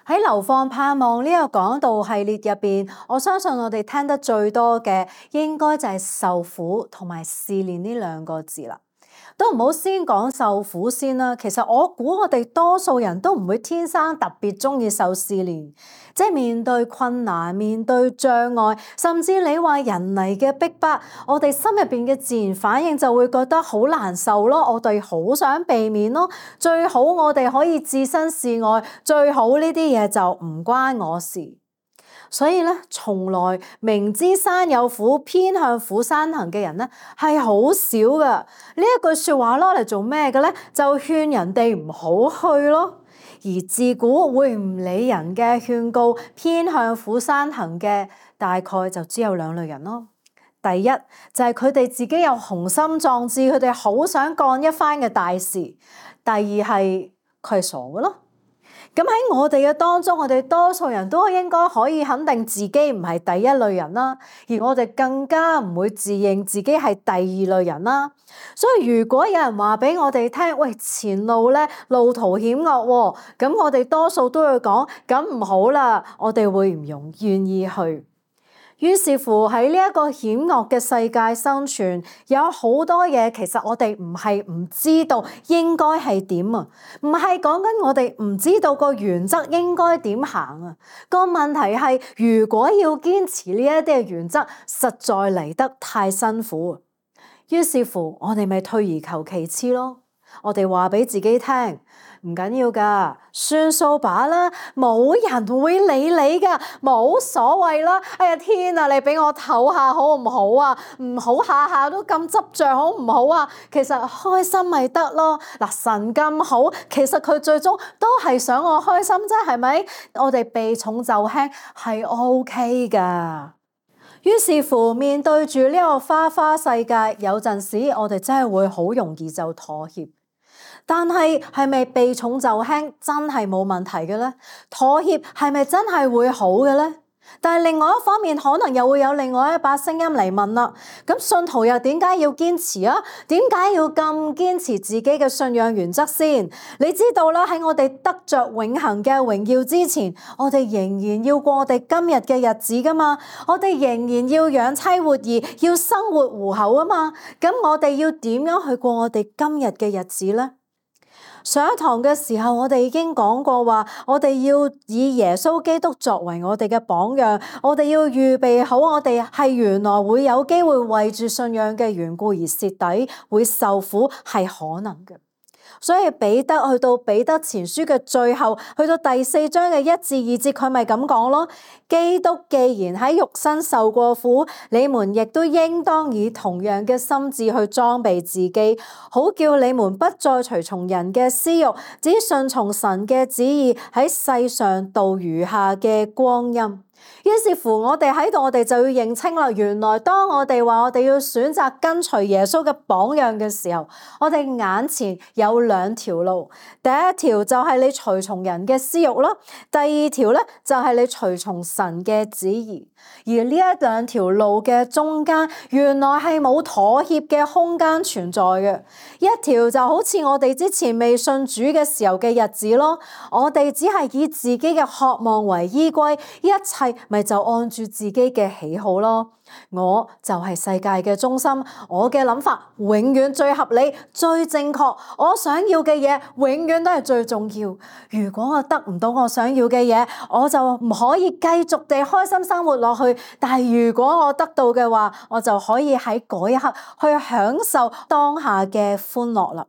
喺流放盼望呢個講道系列入邊，我相信我哋聽得最多嘅應該就係受苦同埋試煉呢兩個字啦。都唔好先講受苦先啦。其實我估我哋多數人都唔會天生特別鍾意受試煉，即係面對困難、面對障礙，甚至你話人嚟嘅逼迫，我哋心入邊嘅自然反應就會覺得好難受咯。我哋好想避免咯，最好我哋可以置身事外，最好呢啲嘢就唔關我事。所以咧，從來明知山有苦，偏向苦山行嘅人咧係好少噶。呢一句説話攞嚟做咩嘅咧？就勸人哋唔好去咯。而自古會唔理人嘅勸告，偏向苦山行嘅大概就只有兩類人咯。第一就係佢哋自己有雄心壯志，佢哋好想幹一番嘅大事。第二係佢係傻嘅咯。咁喺我哋嘅當中，我哋多數人都應該可以肯定自己唔係第一類人啦，而我哋更加唔會自認自己係第二類人啦。所以如果有人話俾我哋聽，喂，前路咧路途險惡喎，咁我哋多數都會講，咁唔好啦，我哋會唔願意去。於是乎喺呢一個險惡嘅世界生存，有好多嘢其實我哋唔係唔知道應該係點啊，唔係講緊我哋唔知道個原則應該點行啊。個問題係如果要堅持呢一啲嘅原則，實在嚟得太辛苦。於是乎我哋咪退而求其次咯。我哋話俾自己聽，唔緊要噶，算數把啦，冇人會理你噶，冇所謂啦。哎呀天啊，你俾我唞下好唔好啊？唔好下下都咁執着好唔好啊？其實開心咪得咯。嗱，神咁好，其實佢最終都係想我開心啫，係咪？我哋避重就輕係 OK 噶。於是乎，面對住呢個花花世界，有陣時我哋真係會好容易就妥協。但係係咪避重就輕真係冇問題嘅咧？妥協係咪真係會好嘅咧？但係另外一方面，可能又會有另外一把聲音嚟問啦。咁信徒又點解要堅持啊？點解要咁堅持自己嘅信仰原則先？你知道啦，喺我哋得着永恆嘅榮耀之前，我哋仍然要過我哋今日嘅日子噶嘛。我哋仍然要養妻活兒，要生活糊口啊嘛。咁我哋要點樣去過我哋今日嘅日子咧？上一堂嘅時候，我哋已經講過話，我哋要以耶穌基督作為我哋嘅榜樣，我哋要預備好，我哋係原來會有機會為住信仰嘅緣故而蝕底，會受苦，係可能嘅。所以彼得去到彼得前書嘅最後，去到第4章嘅1至2節，佢咪咁講咯。基督既然喺肉身受過苦，你們亦都應當以同樣嘅心志去裝備自己，好叫你們不再隨從人嘅私欲，只順從神嘅旨意，喺世上度餘下嘅光陰。於是乎我哋喺度，我哋就要認清啦。原來當我哋話我哋要選擇跟隨耶穌嘅榜樣嘅時候，我哋眼前有2條路。第一條就係你隨從人嘅私欲咯，第二條咧就係你隨從神嘅旨意。而呢一2條路嘅中間，原來係冇妥協嘅空間存在嘅。一條就好似我哋之前未信主嘅時候嘅日子咯，我哋只係以自己嘅渴望為依歸，一切咪就按住自己嘅喜好咯。我就係世界嘅中心，我嘅諗法永遠最合理、最正確，我想要嘅嘢永遠都係最重要。如果我得唔到我想要嘅嘢，我就唔可以繼續地開心生活落去。但係如果我得到嘅話，我就可以喺嗰一刻去享受當下嘅歡樂啦。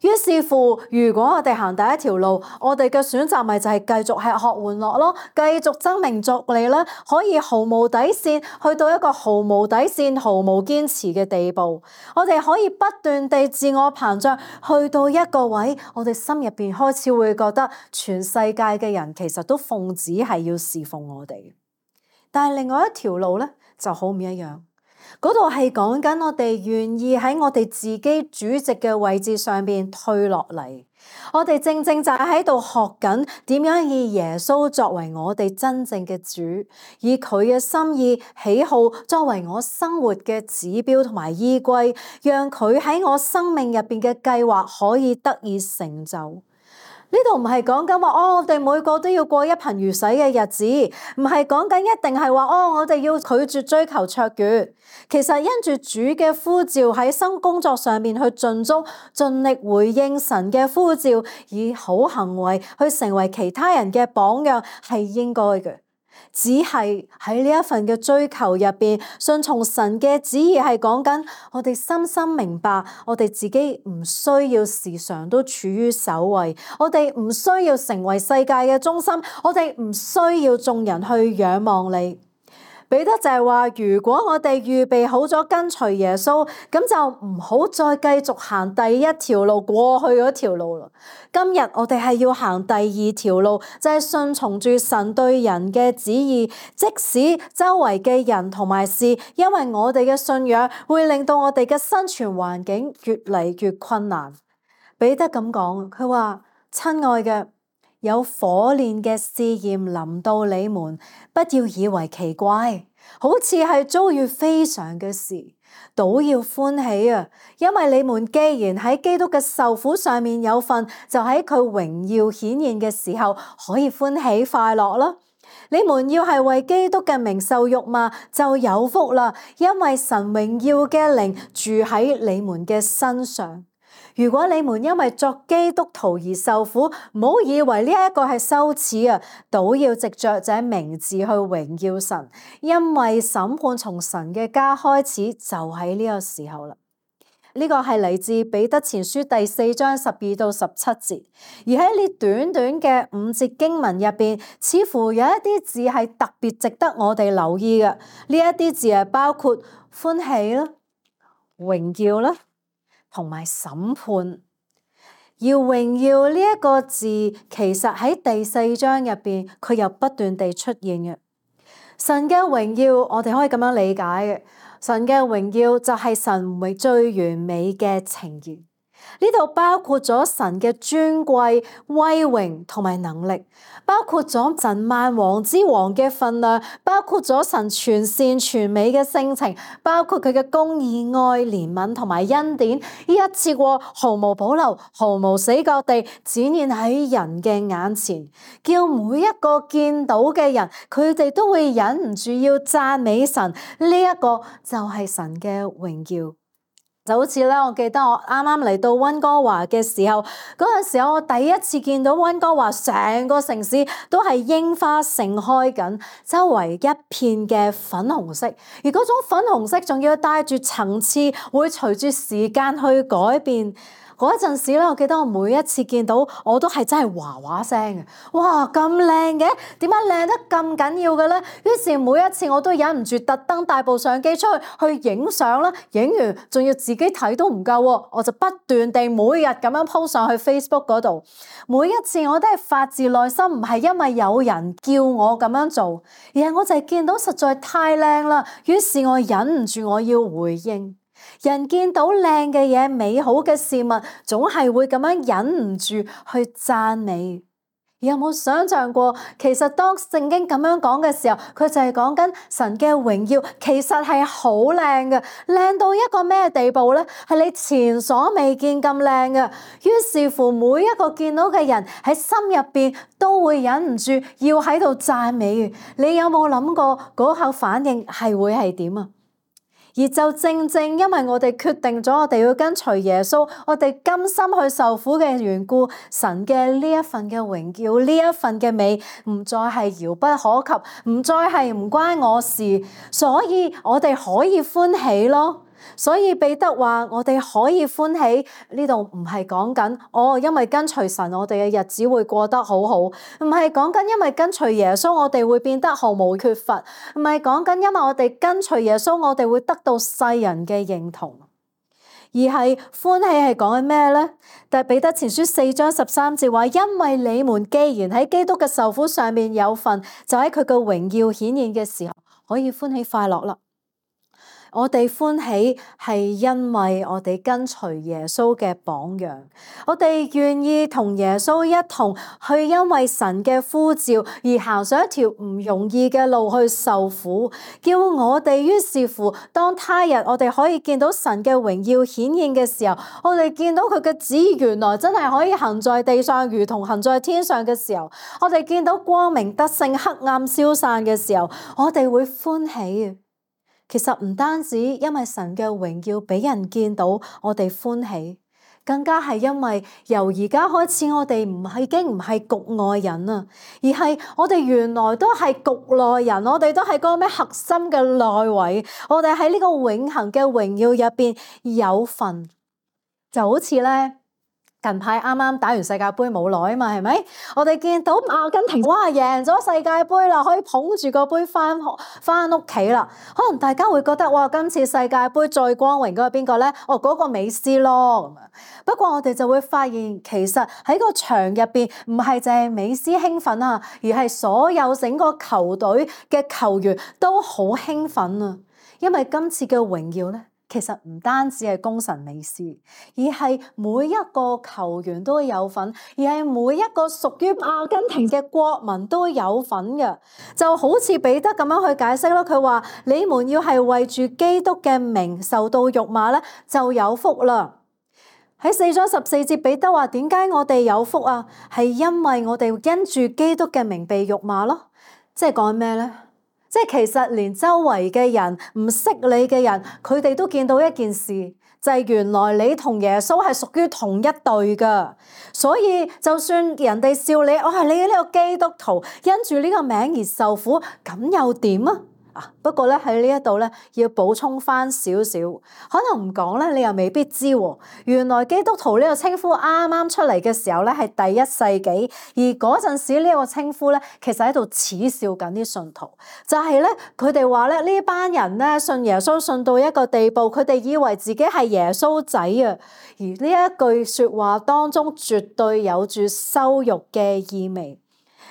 於是乎，如果我哋行第一條路，我哋嘅選擇咪就係繼續吃喝玩樂咯，繼續爭名逐利啦，可以毫無底線去到一個毫無底線、毫無堅持嘅地步。我哋可以不斷地自我膨脹，去到一個位，我哋心入邊開始會覺得全世界嘅人其實都奉旨係要侍奉我哋。但係另外一條路咧就好唔一樣。嗰度係講緊我哋願意喺我哋自己主席嘅位置上邊退落嚟，我哋正正就係喺度學緊點樣以耶穌作為我哋真正嘅主，以佢嘅心意喜好作為我生活嘅指標同埋依歸，讓佢喺我生命入邊嘅計劃可以得以成就。呢度唔係講緊話我哋每個都要過一貧如洗嘅日子，唔係講緊一定係話我哋要拒絕追求卓越。其實因住主嘅呼召喺新工作上面去盡足盡力回應神嘅呼召，以好行為去成為其他人嘅榜樣係應該嘅。只係喺呢一份嘅追求入邊，順從神嘅旨意係講緊我哋深深明白，我哋自己唔需要時常都處於首位，我哋唔需要成為世界嘅中心，我哋唔需要眾人去仰望你。彼得就係話，如果我哋預備好咗跟隨耶穌，咁就唔好再繼續行第一條路過去嗰條路啦。今日我哋係要行第二條路，就係順從住神對人嘅旨意，即使周圍嘅人同埋事，因為我哋嘅信仰會令到我哋嘅生存環境越嚟越困難。彼得咁講，佢話：親愛嘅，有火煉嘅試驗臨到你們，不要以為奇怪，好似係遭遇非常嘅事，倒要歡喜啊！因為你們既然喺基督嘅受苦上面有份，就喺佢榮耀顯現嘅時候可以歡喜快樂啦。你們要係為基督嘅名受辱罵，就有福啦，因為神榮耀嘅靈住喺你們嘅身上。如果你們因為作基督徒而受苦，唔好以為呢一個係羞恥啊，倒要藉着這名字去榮耀神，因為審判從神嘅家開始就喺呢個時候啦。呢個係嚟自彼得前書第4章12到17節，而喺呢短短嘅5節經文入邊，似乎有一啲字係特別值得我哋留意嘅。呢一啲字係包括歡喜啦、榮耀啦，同埋審判。要榮耀呢一個字，其實喺第4章入邊，佢又不斷地出現嘅。神嘅榮耀，我哋可以咁樣理解嘅。神嘅榮耀就係神最完美嘅呈現。呢度包括咗神嘅尊貴、威榮同埋能力，包括咗神萬王之王嘅分量，包括咗神全善全美嘅性情，包括佢嘅公義、愛、憐憫同埋恩典，呢一次過毫無保留、毫無死角地展現喺人嘅眼前，叫每一個見到嘅人，佢哋都會忍唔住要讚美神。呢一個就係神嘅榮耀。就好似咧，我記得我啱啱嚟到溫哥華嘅時候，嗰陣時候我第一次見到溫哥華成個城市都係櫻花盛開緊，周圍一片嘅粉紅色，而嗰種粉紅色仲要帶住層次，會隨住時間去改變。嗰陣時咧，我記得我每一次見到我都係真係嘩嘩聲嘅，哇咁靚嘅，點解靚得咁緊要嘅咧？於是每一次我都忍唔住特登帶部相機出去影相啦，影完仲要自己睇都唔夠喎，我就不斷地每日咁樣 po 上去 Facebook 嗰度。每一次我都係發自內心，唔係因為有人叫我咁樣做，而係我就係見到實在太靚啦，於是我忍唔住我要回應。人見到靚嘅嘢、美好嘅事物，總係會咁樣忍唔住去讚美。有冇想象過，其實當聖經咁樣講嘅時候，佢就係講緊神嘅榮耀，其實係好靚嘅，靚到一個咩地步呢？係你前所未見咁靚嘅。於是乎，每一個見到嘅人喺心入邊都會忍唔住要喺度讚美。你有冇諗過嗰刻反應係會係點啊？而就正正因為我哋決定咗我哋要跟隨耶穌，我哋甘心去受苦嘅緣故，神嘅呢一份嘅榮耀，呢一份嘅美，唔再係遙不可及，唔再係唔關我事，所以我哋可以歡喜咯。所以彼得話我哋可以歡喜，呢度唔係講緊因為跟隨神我哋嘅日子會過得好好，唔係講緊因為跟隨耶穌我哋會變得毫無缺乏，唔係講緊因為我哋跟隨耶穌我哋會得到世人嘅認同，而係歡喜係講緊咩呢？但係彼得前書4章13節話，因為你們既然喺基督嘅受苦上面有份，就喺佢嘅榮耀顯現嘅時候可以歡喜快樂啦。我哋歡喜係因為我哋跟隨耶穌嘅榜樣，我哋願意同耶穌一同去因為神嘅呼召而行上一條唔容易嘅路去受苦，叫我哋於是乎當他日我哋可以見到神嘅榮耀顯現嘅時候，我哋見到佢嘅旨意原來真係可以行在地上如同行在天上嘅時候，我哋見到光明得勝黑暗消散嘅時候，我哋會歡喜。其實唔單止因為神嘅榮耀俾人見到，我哋歡喜，更加係因為由而家開始，我哋已經唔係局外人啦，而係我哋原來都係局內人，我哋都係嗰個咩核心嘅內位，我哋喺呢個永恆嘅榮耀入邊有份，就好似咧。近排啱啱打完世界盃冇耐啊嘛，係咪？我哋見到阿根廷哇贏咗世界盃啦，可以捧住個杯翻屋企啦。可能大家會覺得哇，今次世界盃最光榮嗰個邊個咧？哦，嗰個美斯咯。不過我哋就會發現，其實喺個場入邊唔係淨係美斯興奮啊，而係所有整個球隊嘅球員都好興奮啊，因為今次嘅榮耀咧。其實唔單止係功臣美斯，而係每一個球員都有份，而係每一個屬於阿根廷嘅國民都有份嘅。就好似彼得咁樣去解釋啦，佢話：你們要係為住基督嘅名受到辱罵咧，就有福啦。喺4章14節，彼得話：點解我哋有福啊？係因為我哋因住基督嘅名被辱罵咯。即係講咩咧？即係其實連周圍嘅人唔識你嘅人，佢哋都見到一件事，就係原來你同耶穌係屬於同一隊噶。所以就算人哋笑你，我係你呢個基督徒，因住呢個名而受苦，咁又點啊？不過咧喺呢一度咧要補充翻少少，可能唔講咧你又未必知喎。原來基督徒呢個稱呼啱啱出嚟嘅時候咧係第1世紀，而嗰陣時呢個稱呼咧其實喺度恥笑緊啲信徒，就係咧佢哋話咧呢班人咧信耶穌信到一個地步，佢哋以為自己係耶穌仔啊，而呢一句說話當中絕對有住羞辱嘅意味。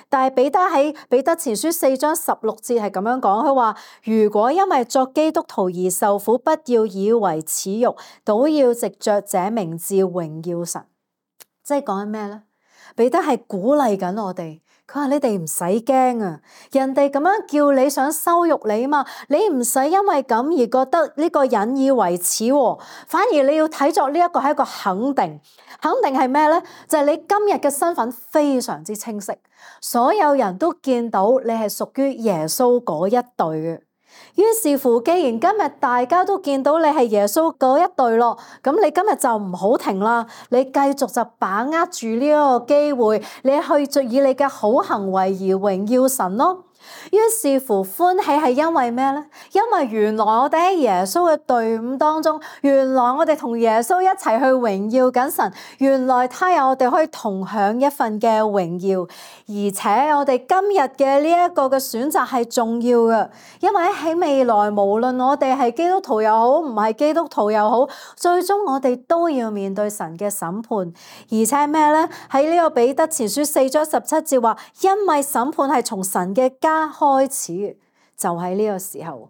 但係彼得喺彼得前書4章16節係咁樣講，佢話：如果因為作基督徒而受苦，不要以為恥辱，倒要藉着這名字榮耀神。即係講緊咩咧？彼得係鼓勵緊我哋，佢話你哋唔使驚啊！人哋咁樣叫你想羞辱你嘛，你唔使因為咁而覺得呢個引以為恥，反而你要睇作呢一個係一個肯定。肯定係咩咧？就係你今日嘅身份非常之清晰，所有人都見到你係屬於耶穌嗰一隊嘅。於是乎，既然今日大家都見到你係耶穌嗰一隊咯，咁你今日就唔好停啦，你繼續就把握住呢一個機會，你去以你嘅好行為而榮耀神咯。於是乎，歡喜係因為咩咧？因為原來我哋喺耶穌嘅隊伍當中，原來我哋同耶穌一齊去榮耀緊神，原來他有我哋可以同享一份嘅榮耀，而且我哋今日嘅呢一個嘅選擇係重要嘅，因為喺未來無論我哋係基督徒又好，唔係基督徒又好，最終我哋都要面對神嘅審判，而且咩咧？喺呢個彼得前書4章17節話，因為審判係從神嘅家開始，就喺呢個時候，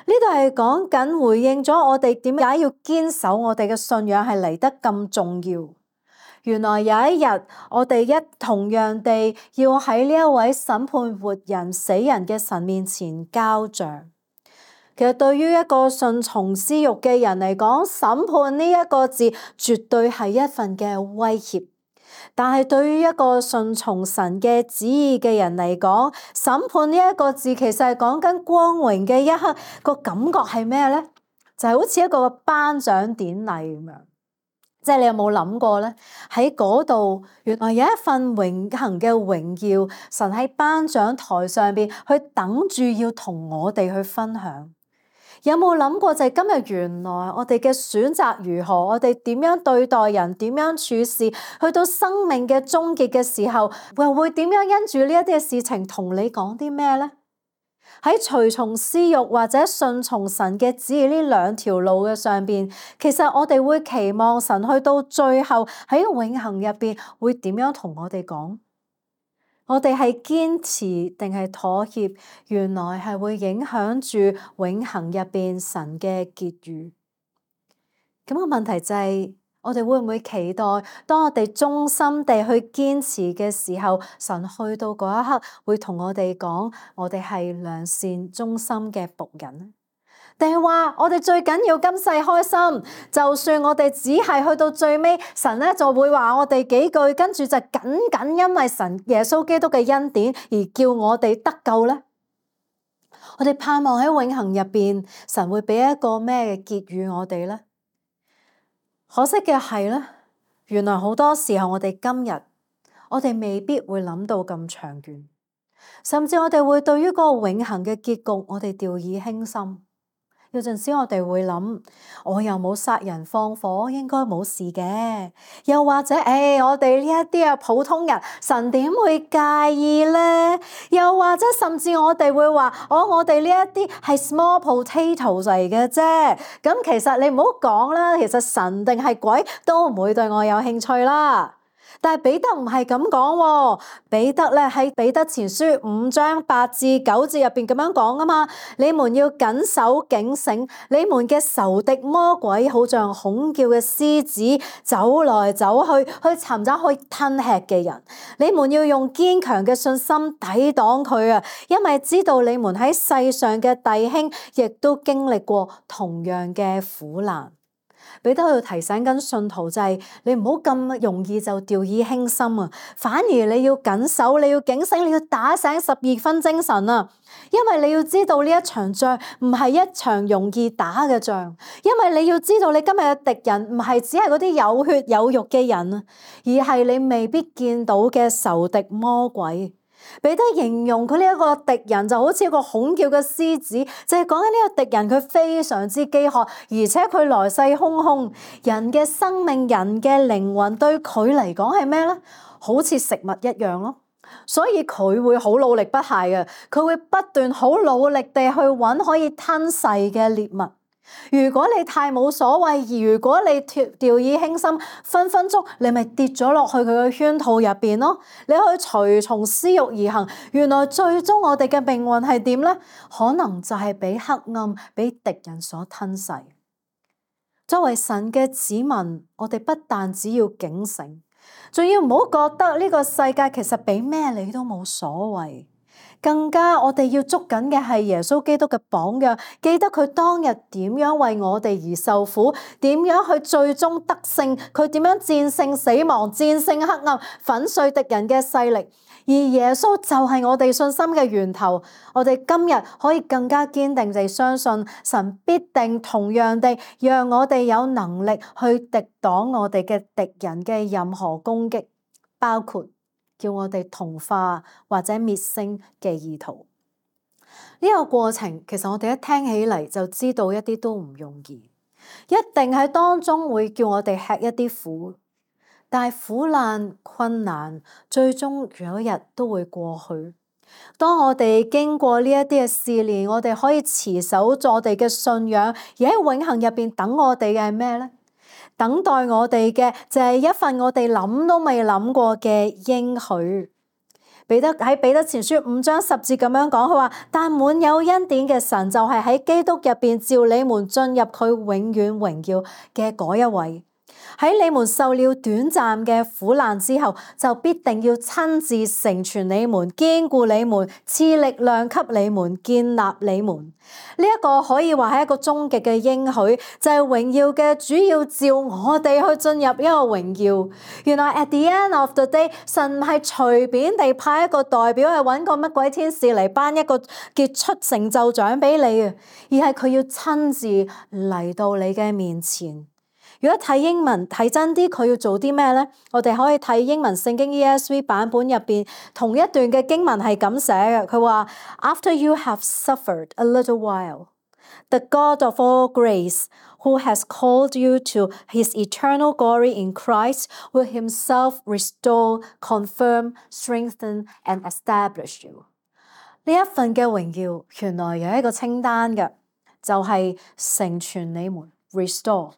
呢度係講緊回應咗我哋點解要堅守我哋嘅信仰係嚟得咁重要。原來有一日我哋同樣地要喺呢一位審判活人死人嘅神面前交賬。其實對於一個順從私慾嘅人嚟講，審判呢一個字絕對係一份嘅威脅。但係對於一個順從神嘅旨意嘅人嚟講，審判呢一個字其實係講緊光榮嘅一刻，個感覺係咩咧？就係好似一個頒獎典禮咁樣。即係你有冇諗過咧？喺嗰度原來有一份永恆嘅榮耀，神喺頒獎台上邊去等住要同我哋去分享。有冇諗過就係今日原來我哋嘅選擇如何，我哋點樣對待人，點樣處事，去到生命嘅終結嘅時候，又會點樣因住呢一啲嘅事情同你講啲咩咧？喺隨從私慾或者順從神嘅旨意呢兩條路嘅上邊，其實我哋會期望神去到最後喺永恆入邊會點樣同我哋講？我哋係堅持定係妥協，原來係會影響住永恆入邊神嘅結語。咁個問題就係，我哋會唔會期待當我哋忠心地去堅持嘅時候，神去到嗰一刻會同我哋講，我哋係良善忠心嘅僕人？定係話我哋最緊要今世開心，就算我哋只係去到最尾，神咧就會話我哋幾句，跟住就僅因為神耶穌基督嘅恩典而叫我哋得救呢？我哋盼望喺永恆入邊，神會俾一個咩嘅結語我哋呢？可惜嘅係咧，原來好多時候我哋今日，我哋未必會諗到咁長遠，甚至我哋會對於嗰個永恆嘅結局，我哋掉以輕心。有陣時我哋會諗，我又冇殺人放火，應該冇事嘅。又或者，我哋呢一啲普通人，神點會介意呢？又或者甚至我哋會話，我哋呢一啲係 small potatoes 嚟嘅啫。咁其實你唔好講啦，其實神定係鬼都唔會對我有興趣啦。但係彼得唔係咁講喎，彼得咧喺彼得前書5章8至9節入邊咁樣講啊嘛，你們要謹守警醒，你們嘅仇敵魔鬼好像恐叫嘅獅子，走來走去，去尋找可以吞吃嘅人。你們要用堅強嘅信心抵擋佢啊，因為知道你們喺世上嘅弟兄亦都經歷過同樣嘅苦難。彼得喺度提醒緊信徒就係，你唔好咁容易就掉以輕心啊，反而你要謹守，你要警醒，你要打醒12分精神啊，因為你要知道呢一場仗唔係一場容易打嘅仗，因為你要知道你今日嘅敵人唔係只係嗰啲有血有肉嘅人啊，而係你未必見到嘅仇敵魔鬼。彼得形容佢呢一個敵人就好似一個恐叫嘅獅子，就係講緊呢個敵人佢非常之飢渴，而且佢來勢洶洶。人嘅生命、人嘅靈魂對佢嚟講係咩呢？好似食物一樣咯，所以佢會好努力不懈嘅，佢會不斷好努力地去揾可以吞噬嘅獵物。如果你太冇所謂，如果你掉以輕心，分分鐘你咪跌咗落去佢嘅圈套入邊咯。你去隨從私欲而行，原來最終我哋嘅命運係點呢？可能就係俾黑暗、俾敵人所吞噬。作為神嘅子民，我哋不但只要警醒，仲要唔好覺得呢個世界其實俾咩你都冇所謂。更加我哋要捉緊嘅係耶穌基督嘅榜樣，記得佢當日點樣為我哋而受苦，點樣去最終得勝，佢點樣戰勝死亡、戰勝黑暗、粉碎敵人嘅勢力。而耶穌就係我哋信心嘅源頭，我哋今日可以更加堅定地相信神必定同樣地讓我哋有能力去敵擋我哋嘅敵人嘅任何攻擊，包括叫我哋同化或者滅聲嘅意圖。呢個過程其實我哋一聽起嚟就知道一啲都唔容易，一定喺當中會叫我哋吃一啲苦，但係苦難困難最終有一日都會過去。當我哋經過呢一啲嘅試煉，我哋可以持守住我哋嘅信仰，而喺永恆入邊等我哋嘅係咩呢？等待我哋嘅就係一份我哋諗都未諗過嘅應許。彼得喺彼得前書5章10節咁樣講，佢話：但滿有恩典嘅神就係喺基督入邊召你們進入佢永遠榮耀嘅嗰一位。喺你們受了短暫嘅苦難之後，就必定要親自成全你們、堅固你們、賜力量給你們、建立你們。呢一個可以話係一個終極嘅應許，就係榮耀嘅主要召我哋去進入一個榮耀。原來 at the end of the day， 神唔係隨便地派一個代表去揾個乜鬼天使嚟頒一個傑出成就獎俾你啊，而係佢要親自嚟到你嘅面前。如果睇英文睇真啲，佢要做啲咩呢？我哋可以睇英文聖經 ESV 版本入邊同一段嘅經文係咁寫嘅，佢話 After you have suffered a little while, the God of all grace, who has called you to his eternal glory in Christ, will himself restore, confirm, strengthen, and establish you。呢一份嘅榮耀原來有一個清單嘅，就係成全你們 restore。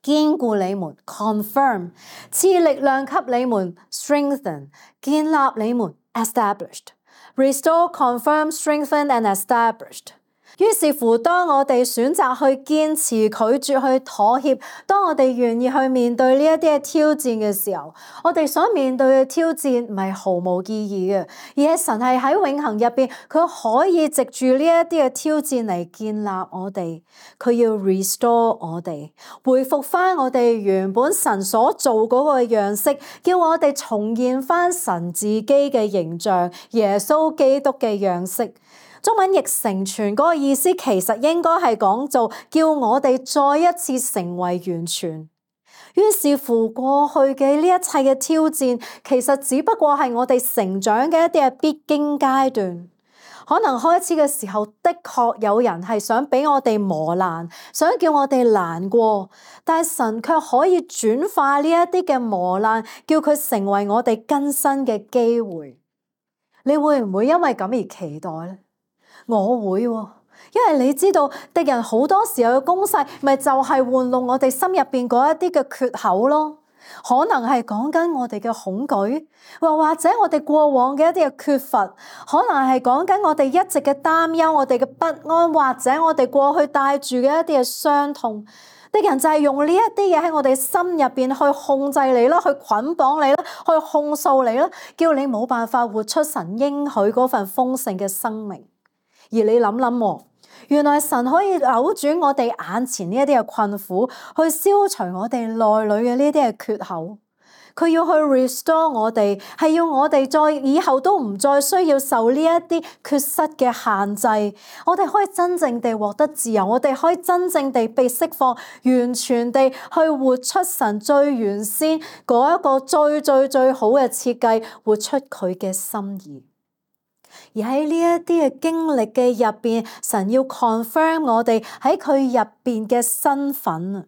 堅固你們 confirm， 賜力量給你們 strengthen， 建立你們 established。Restore, confirm, strengthen and established。於是乎，當我哋選擇去堅持、拒絕去妥協，當我哋願意去面對呢一啲嘅挑戰嘅時候，我哋所面對嘅挑戰唔係毫無意義嘅，而係神係喺永恆入邊，佢可以藉住呢一啲嘅挑戰嚟建立我哋，佢要 restore 我哋，恢復翻我哋原本神所做嗰個樣式，叫我哋重現翻神自己嘅形象，耶穌基督嘅樣式。中文譯成全嗰個意思其實應該係講做叫我哋再一次成為完全。於是乎過去嘅呢一切嘅挑戰，其實只不過係我哋成長嘅一啲嘅必經階段。可能開始嘅時候，的確有人係想俾我哋磨難，想叫我哋難過，但係神卻可以轉化呢一啲嘅磨難，叫佢成為我哋更新嘅機會。你會唔會因為咁而期待呢？我會喎，因為你知道敵人好多時候嘅攻勢，咪就係玩弄我哋心入邊嗰一啲嘅缺口咯。可能係講緊我哋嘅恐懼，或者我哋過往嘅一啲嘅缺乏，可能係講緊我哋一直嘅擔憂，我哋嘅不安，或者我哋過去帶住嘅一啲嘅傷痛。敵人就係用呢一啲嘢喺我哋心入邊去控制你啦，去捆綁你啦，去控訴你啦，叫你冇辦法活出神應許嗰份豐盛嘅生命。而你諗諗喎，原來神可以扭轉我哋眼前呢一啲嘅困苦，去消除我哋內裏嘅呢啲嘅缺口。佢要去 restore 我哋，係要我哋再以後都唔再需要受呢一啲缺失嘅限制。我哋可以真正地獲得自由，我哋可以真正地被釋放，完全地去活出神最原先嗰一個最好嘅設計，活出佢嘅心意。而喺呢一啲嘅經歷嘅入邊，神要 confirm 我哋喺佢入邊嘅身份，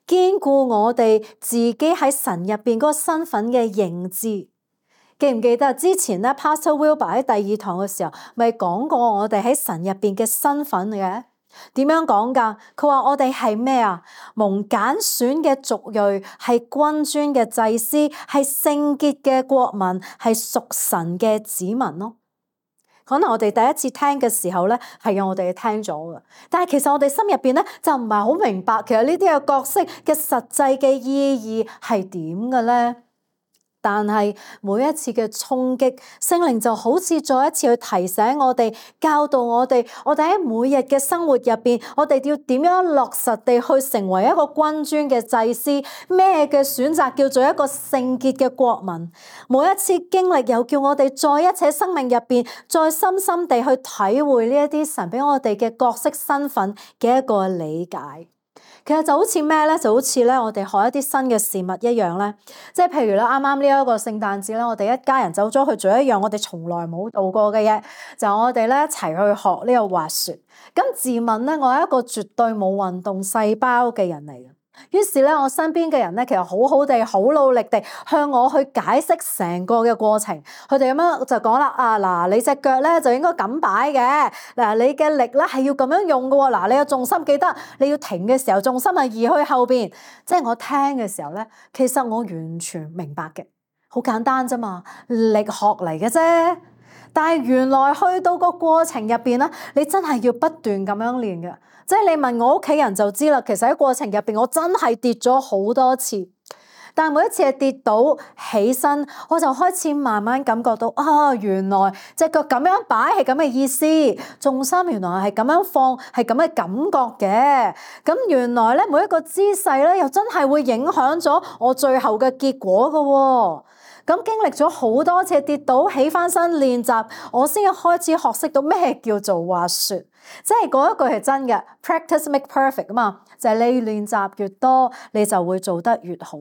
堅固我哋自己喺神入邊嗰個身份嘅認知。記唔記得之前咧 Pastor Wilbur 喺第二堂嘅時候，咪講過我哋喺神入邊嘅身份嘅？點樣講㗎？佢話我哋係咩啊？蒙揀選嘅族裔，係君尊嘅祭司，係聖潔嘅國民，係屬神嘅子民咯。可能我哋第一次聽嘅時候咧，係我哋聽咗嘅，但係其實我哋心入邊咧就唔係好明白，其實呢啲嘅角色嘅實際嘅意義係點嘅咧？但係每一次嘅衝擊，聖靈就好似再一次去提醒我哋，教導我哋喺每日嘅生活入邊，我哋要點樣落實地去成為一個君尊嘅祭司，咩嘅選擇叫做一個聖潔嘅國民。每一次經歷又叫我哋再一次喺生命入邊，再深深地去體會呢一啲神俾我哋嘅角色身份嘅一個理解。其實就好似咩咧？就好似咧，我哋學一啲新嘅事物一樣咧。即係譬如咧，啱啱呢一個聖誕節咧，我哋一家人走咗去做一樣我哋從來冇做過嘅嘢，就我哋咧一齊去學呢個滑雪。咁自問咧，我係一個絕對冇運動細胞嘅人嚟嘅。於是咧，我身邊嘅人咧，其實好好地、好努力地向我去解釋成個嘅過程。佢哋咁樣就講啦：嗱，你隻腳咧就應該咁擺嘅。嗱，你嘅力咧係要咁樣用嘅喎。嗱，你嘅重心記得你要停嘅時候，重心係移去後邊。即係我聽嘅時候咧，其實我完全明白嘅，好簡單啫嘛，力學嚟嘅啫。但係原來去到個過程入邊咧，你真係要不斷咁樣練嘅。即係你問我屋企人就知啦，其實喺過程入邊我真係跌咗好多次，但係每一次係跌倒起身，我就開始慢慢感覺到原來隻腳咁樣擺係咁嘅意思，重心原來係咁樣放係咁嘅感覺嘅。咁原來咧每一個姿勢咧又真係會影響咗我最後嘅結果㗎喎。咁經歷咗好多次跌倒起翻身練習，我先開始學識到咩叫做滑雪。即係嗰一句係真嘅 ，practice make perfect 啊嘛，就係你練習越多，你就會做得越好。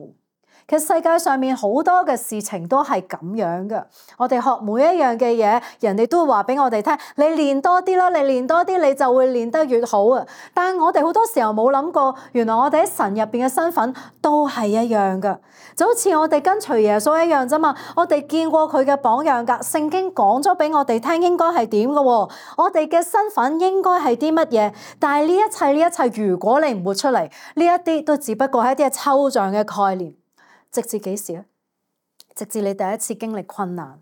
其實世界上面好多嘅事情都係咁樣嘅。我哋學每一樣嘅嘢，人哋都會話俾我哋聽，你練多啲啦，你練多啲，你就會練得越好啊！但係我哋好多時候冇諗過，原來我哋喺神入邊嘅身份都係一樣嘅，就好似我哋跟隨耶穌一樣啫嘛。我哋見過佢嘅榜樣㗎，聖經講咗俾我哋聽應該係點嘅喎，我哋嘅身份應該係啲乜嘢？但係呢一切，如果你唔活出嚟，呢一啲都只不過係一啲抽象嘅概念。直至幾時咧？直至你第一次經歷困難，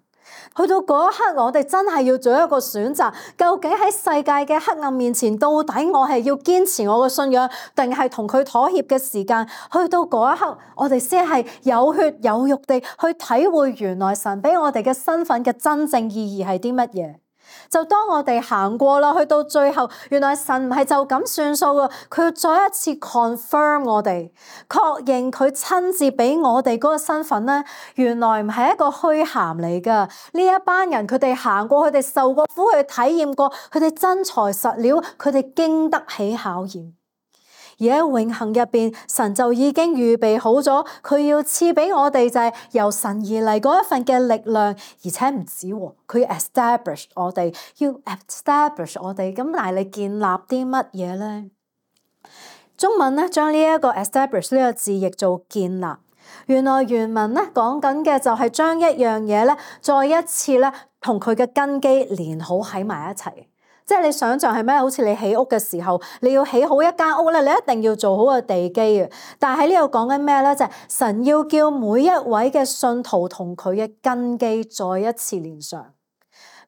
去到嗰一刻，我哋真係要做一個選擇，究竟喺世界嘅黑暗面前，到底我係要堅持我嘅信仰，定係同佢妥協嘅時間？去到嗰一刻，我哋先係有血有肉地去體會原來神俾我哋嘅身份嘅真正意義係啲乜嘢。就當我哋行過啦，去到最後，原來神唔係就咁算數㗎，佢要再一次 confirm 我哋，確認佢親自俾我哋嗰個身份咧，原來唔係一個虛銜嚟㗎。呢一班人佢哋行過，佢哋受過苦，佢哋體驗過，佢哋真材實料，佢哋經得起考驗。而喺永恆入邊，神就已經預備好咗，佢要賜俾我哋就係由神而嚟嗰一份嘅力量，而且唔止喎，佢要 establish 我哋，要 establish 我哋。咁但係你建立啲乜嘢咧？中文咧將呢一個 establish 呢個字譯做建立。原來原文咧講緊嘅就係將一樣嘢咧再一次咧同佢嘅根基連好喺埋一齊。即係你想象係咩？好似你起屋嘅時候，你要起好一間屋咧，你一定要做好個地基嘅。但係喺呢度講緊咩咧？就係神要叫每一位嘅信徒同佢嘅根基再一次連上。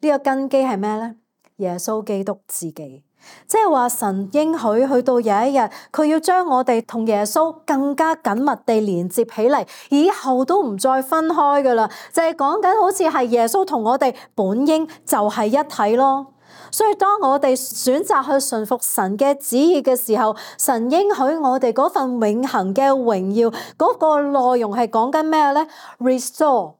呢個根基係咩咧？耶穌基督自己。即係話神應許去到有一日，佢要將我哋同耶穌更加緊密地連接起嚟，以後都唔再分開噶啦。就係講緊好似係耶穌同我哋本應就係一體咯。所以當我哋選擇去順服神嘅旨意嘅時候，神應許我哋嗰份永恆嘅榮耀，嗰個內容係講緊咩咧 ？Restore，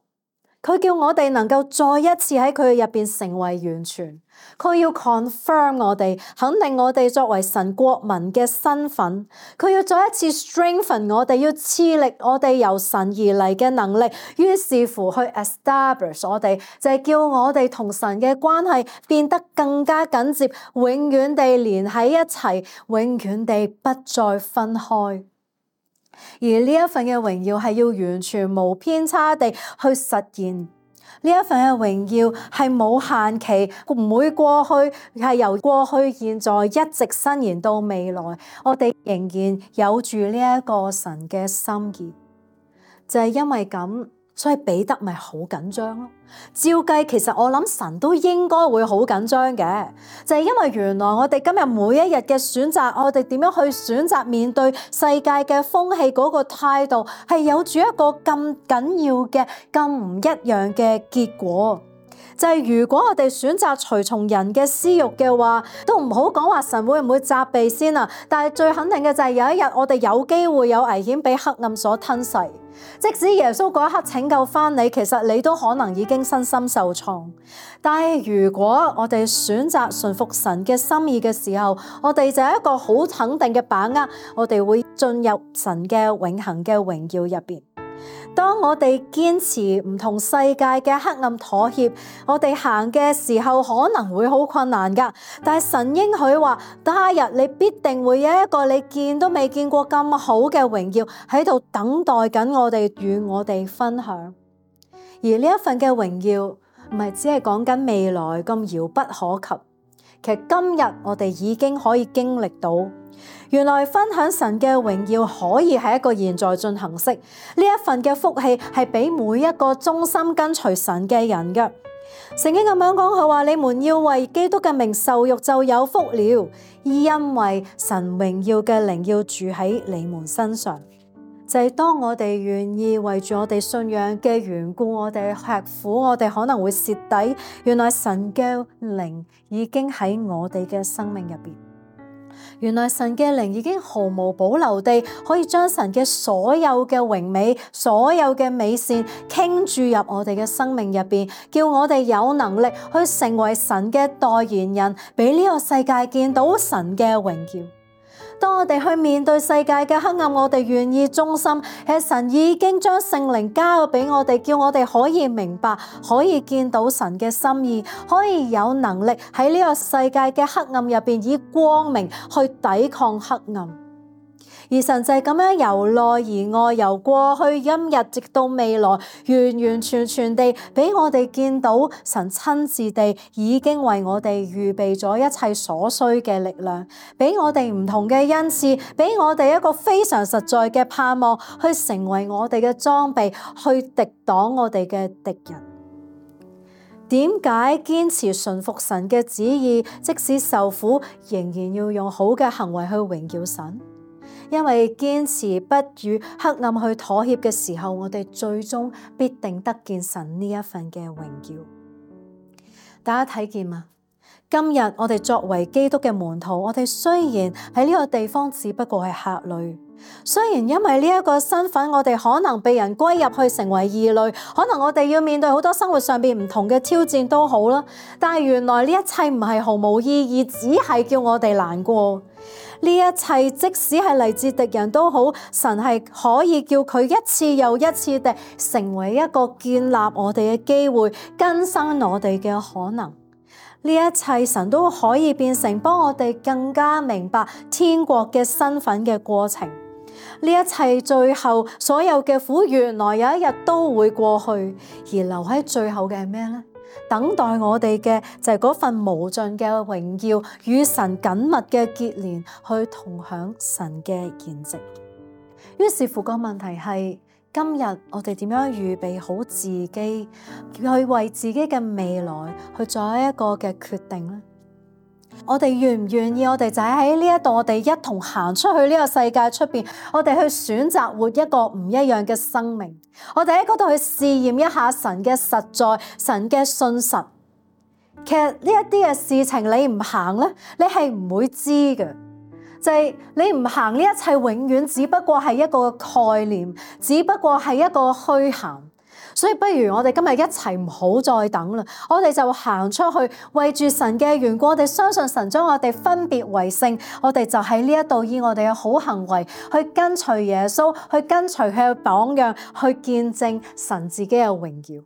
佢叫我哋能夠再一次喺佢入邊成為完全。佢要 confirm 我哋，肯定我哋作為神國民嘅身份。佢要再一次 strengthen 我哋，要賜力我哋由神而嚟嘅能力。於是乎去 establish 我哋，就係叫我哋同神嘅關係變得更加緊接，永遠地連喺一齊，永遠地不再分開。而呢一份嘅榮耀係要完全無偏差地去實現。呢一份嘅榮耀係冇限期，唔會過去，係由過去、現在一直伸延到未來。我哋仍然有住呢一個神嘅心意，就係因為咁，所以彼得咪好緊張咯。照計其實我諗神都應該會好緊張嘅，就係因為原來我哋今日每一日嘅選擇，我哋點樣去選擇面對世界嘅風氣嗰個態度，係有住一個咁緊要嘅、咁唔一樣嘅結果。就係如果我哋選擇隨從人嘅私欲嘅話，都唔好講話神會唔會責備先啊！但係最肯定嘅就係有一日我哋有機會有危險俾黑暗所吞噬。即使耶穌嗰一刻拯救翻你，其實你都可能已經身心受創。但係如果我哋選擇順服神嘅心意嘅時候，我哋就有一個好肯定嘅把握，我哋會進入神嘅永恆嘅榮耀入邊。當我哋堅持唔同世界嘅黑暗妥協，我哋行嘅時候可能會好困難㗎。但係神應許話，他日你必定會有一個你見都未見過咁好嘅榮耀喺度等待緊我哋與我哋分享。而呢一份嘅榮耀唔係只係講緊未來咁遙不可及，其實今日我哋已經可以經歷到。原來分享神嘅榮耀可以係一個現在進行式，呢一份嘅福氣係俾每一個忠心跟隨神嘅人嘅。聖經咁樣講，佢話你們要為基督嘅名受辱就有福了，因為神榮耀嘅靈要住喺你們身上。就係當我哋願意為住我哋信仰嘅緣故，我哋吃苦，我哋可能會蝕底。原來神嘅靈已經喺我哋嘅生命入邊。原來神嘅靈已經毫無保留地可以將神嘅所有嘅榮美、所有嘅美善傾注入我哋嘅生命入邊，叫我哋有能力去成為神嘅代言人，俾呢個世界見到神嘅榮耀。當我哋去面對世界嘅黑暗，我哋願意忠心，係神已經將聖靈交咗俾我哋，叫我哋可以明白，可以見到神嘅心意，可以有能力喺呢個世界嘅黑暗入邊以光明去抵抗黑暗。而神就係咁樣由內而外，由過去今日直到未來，完完全全地俾我哋見到神親自地已經為我哋預備咗一切所需嘅力量，俾我哋唔同嘅恩賜，俾我哋一個非常實在嘅盼望，去成為我哋嘅裝備，去敵擋我哋嘅敵人。點解堅持順服神嘅旨意，即使受苦，仍然要用好嘅行為去榮耀神？因為堅持不與黑暗去妥協嘅時候，我哋最終必定得見神呢一份嘅榮耀。大家睇見嗎？今日我哋作為基督嘅門徒，我哋雖然喺呢個地方只不過係客旅，雖然因為呢一個身份，我哋可能被人歸入去成為異類，可能我哋要面對好多生活上邊唔同嘅挑戰都好啦，但係原來呢一切唔係毫無意義，只係叫我哋難過。呢一切即使係嚟自敵人都好，神係可以叫佢一次又一次地成為一個建立我哋嘅機會，更新我哋嘅可能。呢一切神都可以變成幫我哋更加明白天國嘅身份嘅過程。呢一切最後所有嘅苦，原來有一日都會過去，而留喺最後嘅係咩呢？等待我哋嘅就係嗰份無盡嘅榮耀，與神緊密嘅結連，去同享神嘅筵席。於是乎個問題係，今日我哋點樣預備好自己，去為自己嘅未來去做一個嘅決定呢？我哋願唔願意？我哋就喺呢一度，我哋一同行出去呢個世界出邊，我哋去選擇活一個唔一樣嘅生命。我哋喺嗰度去試驗一下神嘅實在，神嘅信實。其實呢一啲嘅事情你唔行咧，你係唔會知嘅。就係你唔行呢一切，永遠只不過係一個概念，只不過係一個虛涵。所以不如我哋今日一齊唔好再等啦，我哋就行出去，為住神嘅緣故，我哋相信神將我哋分別為聖，我哋就喺呢一度以我哋嘅好行為去跟隨耶穌，去跟隨佢嘅榜樣，去見證神自己嘅榮耀。